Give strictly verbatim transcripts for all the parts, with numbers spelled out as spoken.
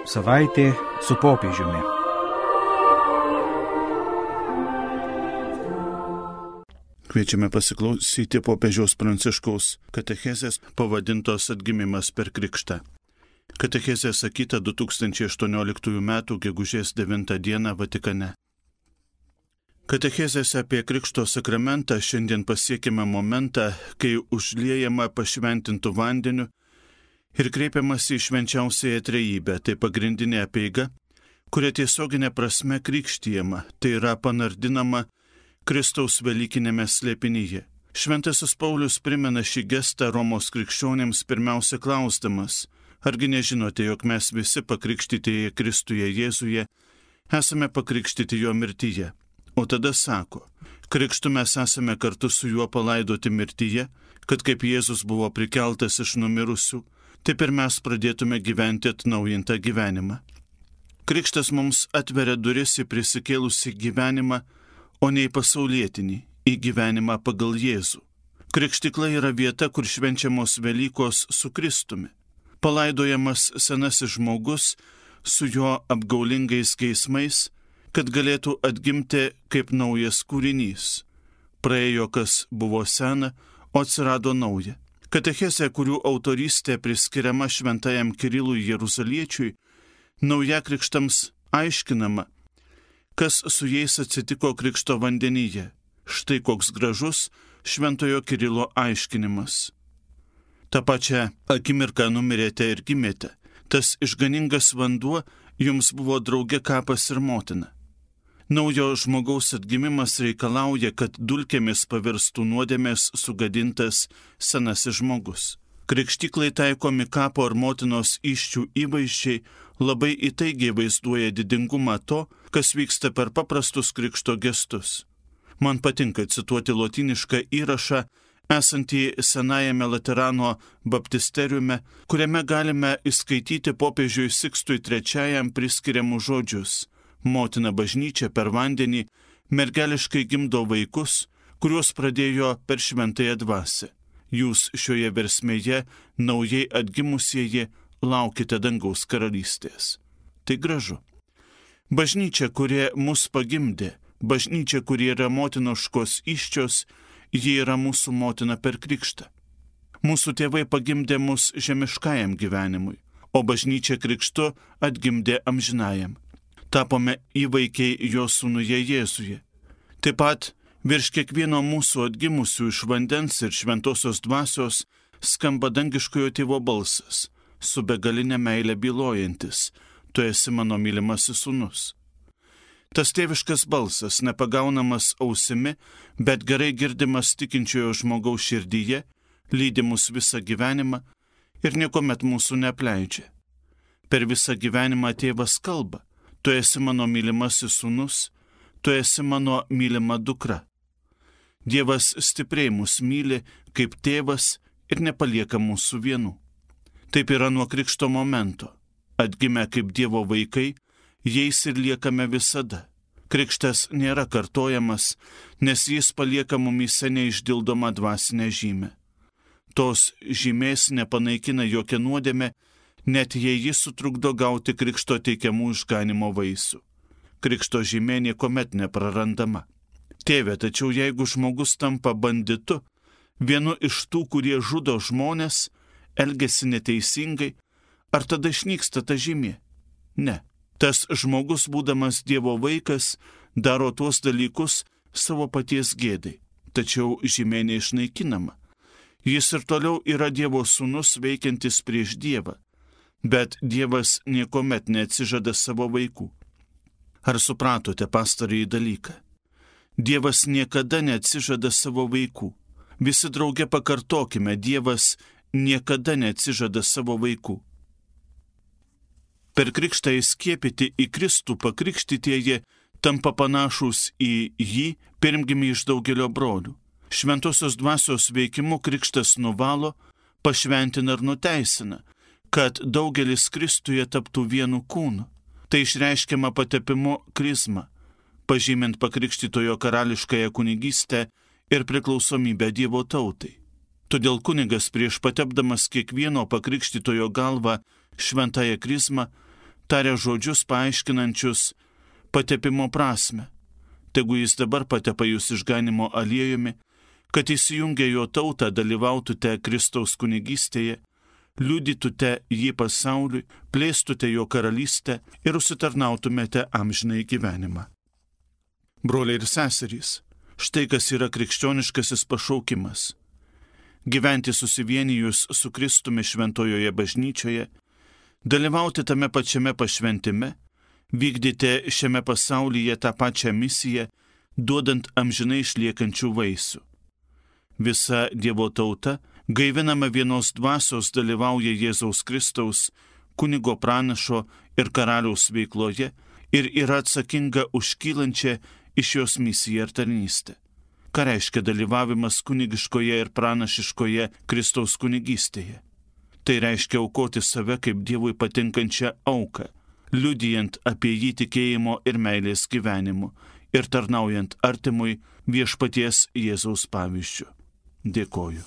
Savaitė su popiežiumi. Kviečiame pasiklausyti popiežiaus Pranciškaus katechezės pavadintos Atgimimas per krikštą. Katechezė sakyta du tūkstančiai aštuonioliktųjų metų gegužės devintą dieną Vatikane. Katechezėse apie Krikšto sakramentą šiandien pasiekime momentą, kai užliejama pašventintų vandeniu ir kreipiamas į švenčiausiąją trejybę, tai pagrindinė apeiga, kuria tiesioginė prasme krikštijama, tai yra panardinama Kristaus velykinėme slėpinyje. Šventasis Paulius primena šį gestą Romos krikščionėms pirmiausia klausdamas, argi nežinote, jog mes visi pakrikštytieji Kristuje Jėzuje esame pakrikštyti jo mirtyje. O tada sako, krikštu mes esame kartu su juo palaidoti mirtyje, kad kaip Jėzus buvo prikeltas iš numirusių, taip ir mes pradėtume gyventi atnaujintą gyvenimą. Krikštas mums atveria duris į prisikėlusį gyvenimą, o ne į pasaulietinį, į gyvenimą pagal Jėzų. Krikštikla yra vieta, kur švenčiamos Velykos su Kristumi. Palaidojamas senasis žmogus su jo apgaulingais geismais, kad galėtų atgimti kaip naujas kūrinys. Praėjo, kas buvo sena, o atsirado nauja. Katechezė, kurių autorystė priskiriama šventajam Kirilui Jeruzaliečiui, naujakrikštams aiškinama, kas su jais atsitiko krikšto vandenyje. Štai koks gražus šventojo Kirilo aiškinimas. Ta pačia akimirką numirėte ir gimėte. Tas išganingas vanduo jums buvo drauge kapas ir motina. Naujo žmogaus atgimimas reikalauja, kad dulkėmis pavirstų nuodėmės sugadintas senasis žmogus. Krikštyklai taikomi kapo ar motinos įsčių įvaizdžiai labai įtaigiai vaizduoja didingumą to, kas vyksta per paprastus krikšto gestus. Man patinka cituoti lotynišką įrašą, esantį senajame Laterano baptisteriume, kuriame galime įskaityti popiežiui Sikstui trečiajam priskiriamus žodžius. Motina bažnyčia per vandenį mergeliškai gimdo vaikus, kuriuos pradėjo per šventąją dvasią. Jūs šioje versmėje, naujai atgimusieji, laukite dangaus karalystės. Tai gražu. Bažnyčia, kurie mus pagimdė, bažnyčia, kurie yra motinoškos įsčios, ji yra mūsų motina per krikštą. Mūsų tėvai pagimdė mus žemiškajam gyvenimui, o bažnyčia krikštu atgimdė amžinajam. Tapome įvaikiai jo sūnuje Jėzuje. Taip pat virš kiekvieno mūsų atgimusių iš vandens ir šventosios dvasios skamba dangiškojo tėvo balsas, su begalinė meilė bylojantis, tu esi mano mylimasis sūnus. Tas tėviškas balsas, nepagaunamas ausimi, bet gerai girdimas tikinčiojo žmogaus širdyje, lydi mus visą gyvenimą ir niekuomet mūsų neapleidžia. Per visą gyvenimą tėvas kalba, tu esi mano mylimasis sūnus, tu esi mano mylima dukra. Dievas stipriai mus myli kaip tėvas ir nepalieka mūsų vienų. Taip yra nuo krikšto momento. Atgimę kaip Dievo vaikai, jais ir liekame visada. Krikštas nėra kartojamas, nes jis palieka mumyse neišdildomą dvasinę žymę. Tos žymės nepanaikina jokia nuodėmė, net jei jis sutrukdo gauti krikšto teikiamų išganimo vaisių. Krikšto žymė niekuomet neprarandama. Tėve, tačiau jeigu žmogus tampa banditu, vienu iš tų, kurie žudo žmonės, elgesi neteisingai, ar tada išnyksta ta žymė? Ne. Tas žmogus, būdamas Dievo vaikas, daro tuos dalykus savo paties gėdai, tačiau žymė neišnaikinama. Jis ir toliau yra Dievo sūnus veikiantis prieš Dievą. Bet Dievas niekuomet neatsižada savo vaikų. Ar supratote pastarąjį dalyką? Dievas niekada neatsižada savo vaikų. Visi drauge pakartokime, Dievas niekada neatsižada savo vaikų. Per krikštą įskiepyti į Kristų pakrikštytieji tampa panašūs į jį pirmgimį iš daugelio brolių. Šventosios dvasios veikimu krikštas nuvalo, pašventina ir nuteisina, kad daugelis Kristuje taptų vienu kūnu. Tai išreiškiama patepimu krizma, pažymint pakrikštytojo karališkąją kunigystę ir priklausomybę Dievo tautai. Todėl kunigas prieš patepdamas kiekvieno pakrikštytojo galvą šventąją krizmą taria žodžius paaiškinančius patepimo prasme. Tegu jis dabar patepa jūs išganimo aliejumi, kad įsijungę jo tautą dalyvautute Kristaus kunigystėje, liudytute jį pasauliui, plėstute jo karalystę ir užsitarnautumėte amžinai gyvenimą. Broliai ir seserys, štai kas yra krikščioniškasis pašaukimas. Gyventi susivienijus su Kristumi šventojoje bažnyčioje, dalyvauti tame pačiame pašventime, vykdyti šiame pasaulyje tą pačią misiją, duodant amžinai išliekančių vaisių. Visa Dievo tauta, gaivinama vienos dvasios, dalyvauja Jėzaus Kristaus, kunigo pranašo ir karaliaus veikloje ir yra atsakinga už kylančią iš jos misiją ir tarnystę. Ką reiškia dalyvavimas kunigiškoje ir pranašiškoje Kristaus kunigystėje? Tai reiškia aukoti save kaip Dievui patinkančią auką, liudijant apie jį tikėjimo ir meilės gyvenimu ir tarnaujant artimui viešpaties Jėzaus pavyzdžiu. Dėkoju.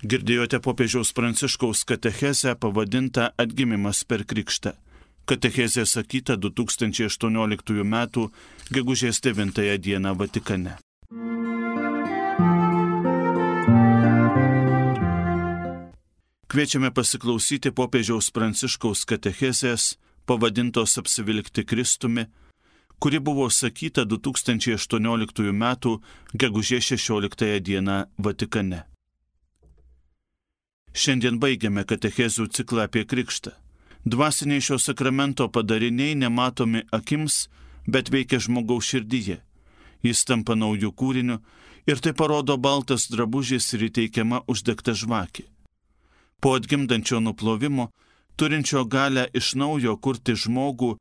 Girdėjote popiežiaus Pranciškaus katechezę pavadintą Atgimimas per krikštą. Katechezė sakyta du tūkstančiai aštuonioliktųjų metų gegužės devintąją dieną Vatikane. Kviečiame pasiklausyti popiežiaus Pranciškaus katechezės pavadintos Apsivilkti Kristumi, kuri buvo sakyta du tūkstančiai aštuonioliktųjų metų gegužės šešioliktąją dieną Vatikane. Šiandien baigiame katechezių ciklą apie krikštą. Dvasiniai šio sakramento padariniai nematomi akims, bet veikia žmogaus širdyje. Jis tampa naujų kūrinių ir tai parodo baltas drabužis ir įteikiama uždegta žvakė. Po atgimdančio nuplovimo, turinčio galę iš naujo kurti žmogų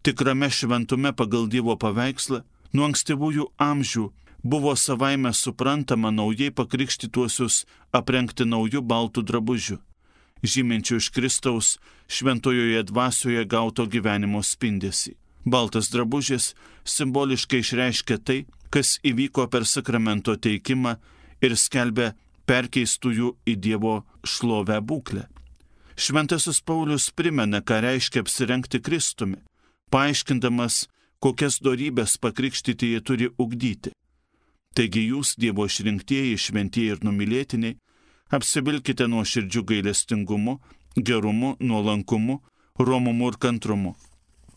tikrame šventume pagal Dievo paveikslą, nuo ankstyvųjų amžių buvo savaime suprantama naujai pakrikštytuosius aprengti naujų baltų drabužių, žyminčių iš Kristaus šventojoje dvasioje gauto gyvenimo spindesį. Baltas drabužis simboliškai išreiškia tai, kas įvyko per sakramento teikimą ir skelbia perkeistųjų į Dievo šlovę būklę. Šventasis Paulius primena, ką reiškia apsirengti Kristumi, paaiškindamas, kokias dorybes pakrikštytieji turi ugdyti. Taigi jūs, Dievo išrinktieji, šventieji ir numylėtiniai, apsivilkite nuoširdžiu gailestingumu, gerumu, nuolankumu, romumu ir kantrumu.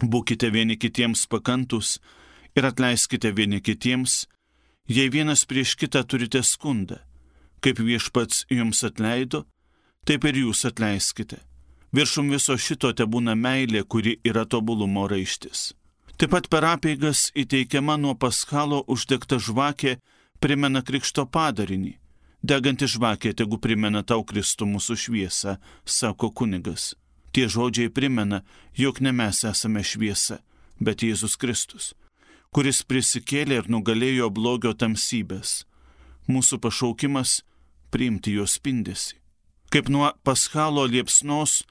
Būkite vieni kitiems pakantus ir atleiskite vieni kitiems, jei vienas prieš kitą turite skundą. Kaip Viešpats jums atleido, taip ir jūs atleiskite. Viršum viso šito tebūna meilė, kuri yra tobulumo raištis. Taip pat per apeigas įteikiama nuo paschalo uždegta žvakė primena krikšto padarinį. Deganti žvakė tegu primena tau Kristų mūsų šviesą, sako kunigas. Tie žodžiai primena, jog ne mes esame šviesa, bet Jėzus Kristus, kuris prisikėlė ir nugalėjo blogio tamsybės. Mūsų pašaukimas – priimti jo spindesį. Kaip nuo paschalo liepsnos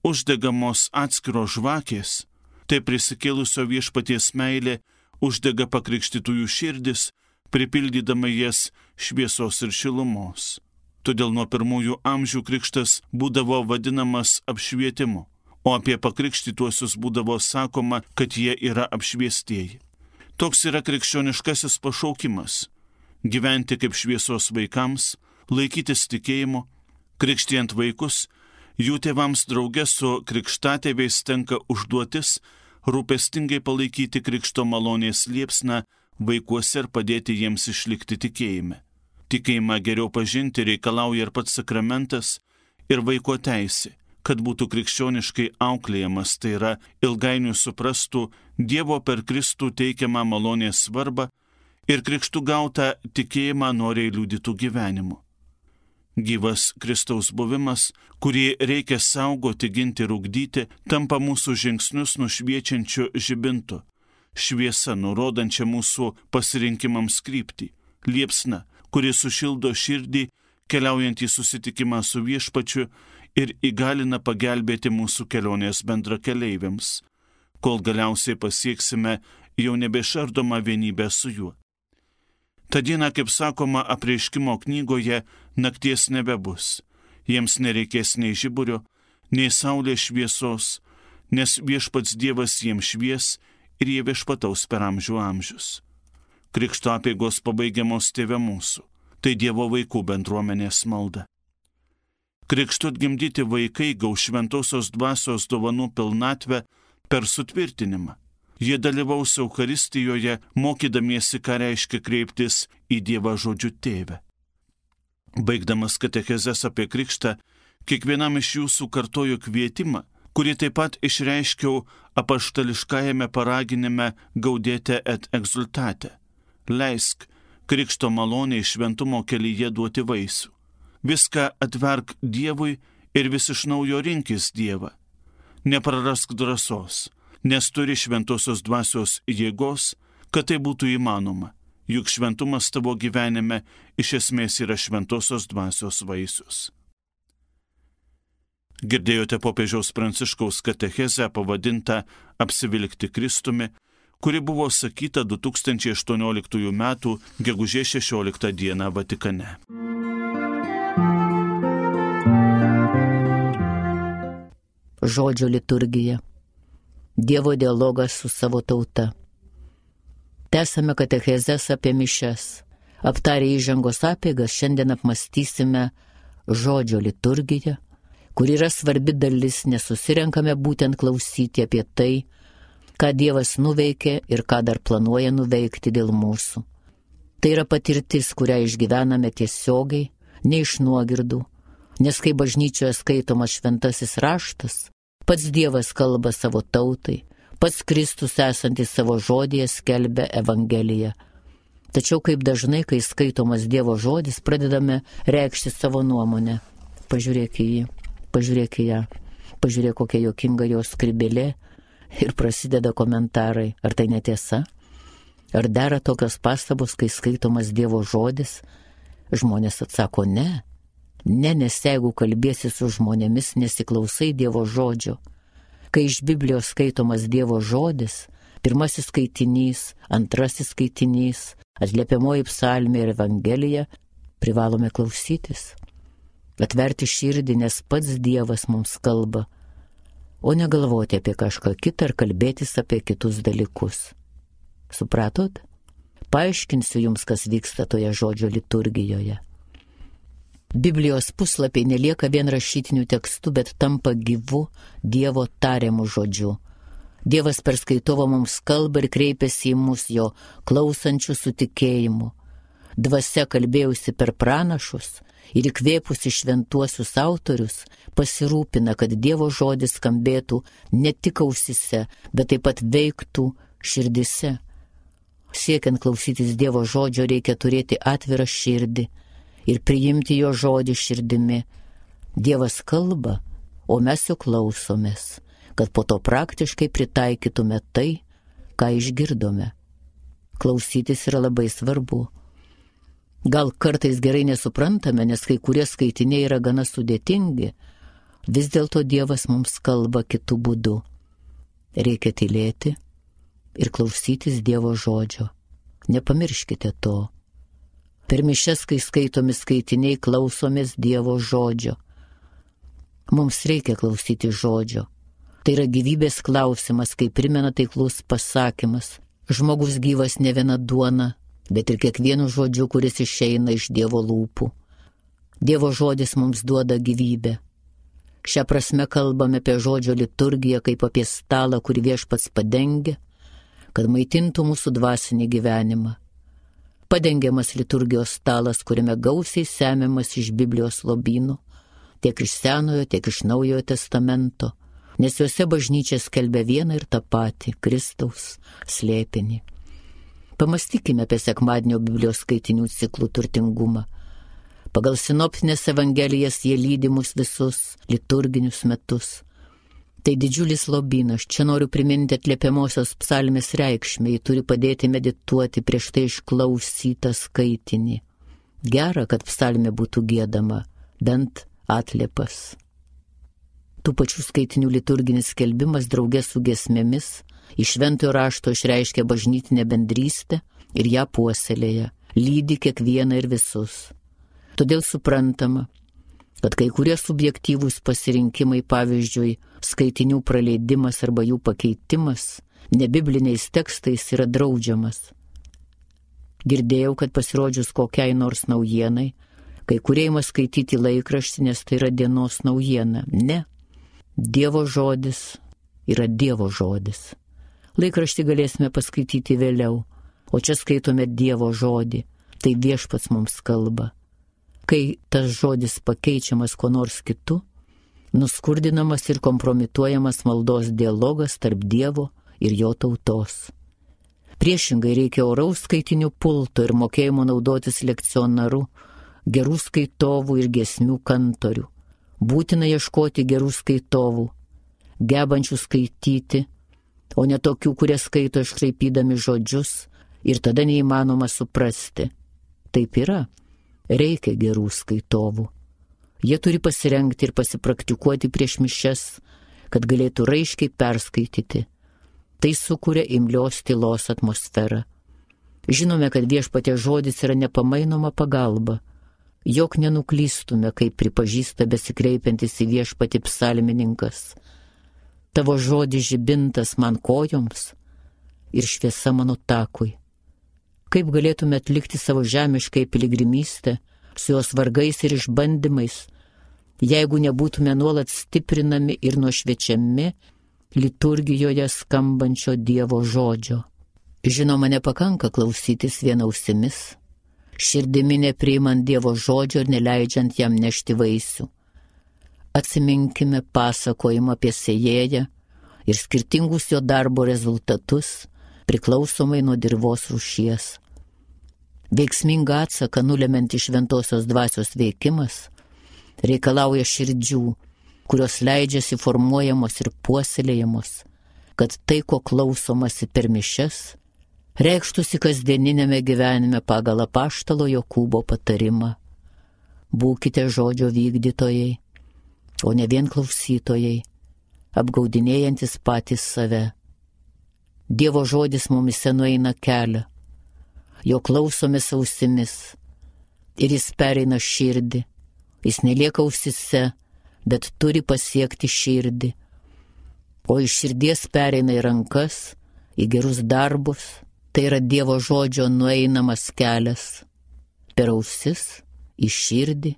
uždegamos atskiros žvakės, tai prisikėlusio viešpaties meilė uždega pakrikštytųjų širdis, pripildydama jas šviesos ir šilumos. Todėl nuo pirmųjų amžių krikštas būdavo vadinamas apšvietimu, o apie pakrikštytuosius būdavo sakoma, kad jie yra apšviestieji. Toks yra krikščioniškasis pašaukimas – gyventi kaip šviesos vaikams, laikytis tikėjimo, krikštijant vaikus, jų tėvams drauge su krikštatėviais tenka užduotis rūpestingai palaikyti krikšto malonės liepsną vaikuose ir padėti jiems išlikti tikėjime. Tikėjimą geriau pažinti reikalauja ir pats sakramentas ir vaiko teisė, kad būtų krikščioniškai auklėjamas, tai yra ilgainiui suprastų Dievo per Kristų teikiamą malonės svarbą ir krikštų gautą tikėjimą noriai liudytų gyvenimu. Gyvas Kristaus buvimas, kurį reikia saugoti, ginti ir ugdyti, tampa mūsų žingsnius nušviečiančiu žibintu, šviesa nurodančia mūsų pasirinkimams kryptį, liepsna, kuri sušildo širdį, keliaujant į susitikimą su Viešpačiu ir įgalina pagelbėti mūsų kelionės bendrakeleiviams, kol galiausiai pasieksime jau nebešardomą vienybę su juo. Ta diena, kaip sakoma Apreiškimo knygoje, nakties nebebus. Jiems nereikės nei žiburio, nei saulės šviesos, nes viešpats Dievas jiems švies ir jie viešpataus per amžių amžius. Krikšto apeigos pabaigiamos Tėve mūsų, tai Dievo vaikų bendruomenės malda. Krikštu atgimdyti vaikai gaus šventosios dvasios dovanų pilnatvę per sutvirtinimą. Jie dalyvaus Eucharistijoje, mokydamiesi, ką reiškia kreiptis į Dievą žodžiu Tėve. Baigdamas katechezes apie krikštą, kiekvienam iš jūsų kartoju kvietimą, kurį taip pat išreiškiau apaštališkajame paraginime Gaudete et exultate. Leisk krikšto maloniai šventumo kelyje duoti vaisių. Viską atverk Dievui ir vis iš naujo rinkis Dievą. Neprarask drąsos, nes turi šventosios dvasios jėgos, kad tai būtų įmanoma, juk šventumas tavo gyvenime iš esmės yra šventosios dvasios vaisius. Girdėjote popiežiaus Pranciškaus katechezę pavadintą Apsivilkti Kristumi, kuri buvo sakyta du tūkstančiai aštuonioliktųjų metų gegužės šešioliktą dieną Vatikane. Žodžio liturgija. Dievo dialogas su savo tauta. Tęsame katechezes apie mišias. Aptarę įžangos apeigas, šiandien apmąstysime žodžio liturgiją, kur yra svarbi dalis, nes susirenkame būtent klausyti apie tai, ką Dievas nuveikė ir ką dar planuoja nuveikti dėl mūsų. Tai yra patirtis, kurią išgyvename tiesiogiai, ne iš nuogirdų, nes kai bažnyčioje skaitomas šventasis raštas, pats Dievas kalba savo tautai, pats Kristus esantis savo žodyje skelbia Evangeliją. Tačiau kaip dažnai, kai skaitomas Dievo žodis, pradedame reikšti savo nuomonę. Pažiūrėk į jį, pažiūrėk į ją, pažiūrėk kokia juokinga jos skrybėlė ir prasideda komentarai. Ar tai netiesa? Ar dera tokios pastabos, kai skaitomas Dievo žodis? Žmonės atsako ne. Ne, nes jeigu kalbėsi su žmonėmis, nesiklausai Dievo žodžio. Kai iš Biblijos skaitomas Dievo žodis, pirmasis skaitinys, antrasis skaitinys, atliepiamoji psalmė ir Evangelija, privalome klausytis. Atverti širdį, nes pats Dievas mums kalba, o negalvoti apie kažką kitą ar kalbėtis apie kitus dalykus. Supratot? Paaiškinsiu jums, kas vyksta toje žodžio liturgijoje. Biblijos puslapiai nelieka vien rašytinių tekstų, bet tampa gyvu Dievo tariamų žodžiu. Dievas per skaitovą mums kalba ir kreipiasi į mus jo klausančių su tikėjimu. Dvasia kalbėjusi per pranašus ir įkvėpusi šventuosius autorius pasirūpina, kad Dievo žodis skambėtų ne tik ausise, bet taip pat veiktų širdise. Siekiant klausytis Dievo žodžio reikia turėti atvirą širdį ir priimti jo žodį širdimi. Dievas kalba, o mes jo klausomės, kad po to praktiškai pritaikytume tai, ką išgirdome. Klausytis yra labai svarbu. Gal kartais gerai nesuprantame, nes kai kurie skaitiniai yra gana sudėtingi, vis dėlto Dievas mums kalba kitų būdų. Reikia tylėti ir klausytis Dievo žodžio. Nepamirškite to. Per mišias, kai skaitomi skaitiniai, klausomės Dievo žodžio. Mums reikia klausyti žodžio. Tai yra gyvybės klausimas, kaip primena taiklus pasakymas. Žmogus gyvas ne viena duona, bet ir kiekvienu žodžiu, kuris išeina iš Dievo lūpų. Dievo žodis mums duoda gyvybę. Šią prasme kalbame apie žodžio liturgiją kaip apie stalą, kurį Viešpats padengia, kad maitintų mūsų dvasinį gyvenimą. Padengiamas liturgijos stalas, kuriame gausiai semiamas iš Biblijos lobynų, tiek iš Senojo, tiek iš Naujojo testamento, nes juose bažnyčia skelbia vieną ir tą patį – Kristaus slėpinį. Pamastykime apie sekmadienio Biblijos skaitinių ciklų turtingumą. Pagal sinoptinės evangelijas jie lydi mus visus liturginius metus. Tai didžiulis lobynas. Čia noriu priminti atliepiamosios psalmės reikšmę, ji turi padėti medituoti prieš tai išklausytą skaitinį. Gera, kad psalmė būtų giedama, bent atliepas. Tų pačių skaitinių liturginis skelbimas draugė su giesmėmis iš šventojo rašto išreiškia bažnytinę bendrystę ir ją puoselėja, lydi kiekvieną ir visus. Todėl suprantama, kad kai kurie subjektyvūs pasirinkimai, pavyzdžiui, skaitinių praleidimas arba jų pakeitimas nebibliniais tekstais yra draudžiamas. Girdėjau, kad pasirodžius kokiai nors naujienai, kai kurie ima skaityti laikraštį, nes tai yra dienos naujiena. Ne. Dievo žodis yra Dievo žodis. Laikraštį galėsime paskaityti vėliau, o čia skaitome Dievo žodį. Tai Viešpats mums kalba. Kai tas žodis pakeičiamas kuo nors kitu, nuskurdinamas ir kompromituojamas maldos dialogas tarp Dievo ir jo tautos. Priešingai reikia oraus skaitinių pulto ir mokėjimo naudotis lekcionaru, gerų skaitovų ir giesmių kantorių. Būtina ieškoti gerų skaitovų, gebančių skaityti, o ne tokių, kurie skaito iškraipydami žodžius ir tada neįmanoma suprasti. Taip yra. Reikia gerų skaitovų. Jie turi pasirengti ir pasipraktikuoti prieš mišias, kad galėtų raiškiai perskaityti. Tai sukuria imlios tylos atmosferą. Žinome, kad Viešpaties žodis yra nepamainoma pagalba. Jok nenuklystume, kaip pripažįsta besikreipiantis į Viešpatį psalmininkas. Tavo žodis žibintas man kojoms ir šviesa mano takui. Kaip galėtume atlikti savo žemiškai piligrimystę su jos vargais ir išbandymais, jeigu nebūtume nuolat stiprinami ir nušviečiami liturgijoje skambančio Dievo žodžio. Žinoma, nepakanka klausytis vien ausimis, širdimi nepriimant Dievo žodžio ir neleidžiant jam nešti vaisių. Atsiminkime pasakojimą apie sėjėją ir skirtingus jo darbo rezultatus priklausomai nuo dirvos rūšies. Veiksmingą atsaką nulemianti šventosios dvasios veikimas reikalauja širdžių, kurios leidžiasi formuojamos ir puoselėjamos, kad tai, ko klausomasi per mišias, reikštųsi kasdieninėme gyvenime pagal apaštalo Jokūbo patarimą. Būkite žodžio vykdytojai, o ne vien klausytojai, apgaudinėjantis patys save. Dievo žodis mumise nueina kelią, jo klausomės ausimis ir jis pereina širdį. Jis nelieka ausise, bet turi pasiekti širdį, o iš širdies pereina į rankas, į gerus darbus. Tai yra Dievo žodžio nueinamas kelias per ausis, į širdį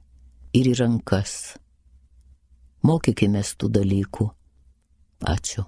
ir į rankas. Mokykimės tų dalykų. Ačiū.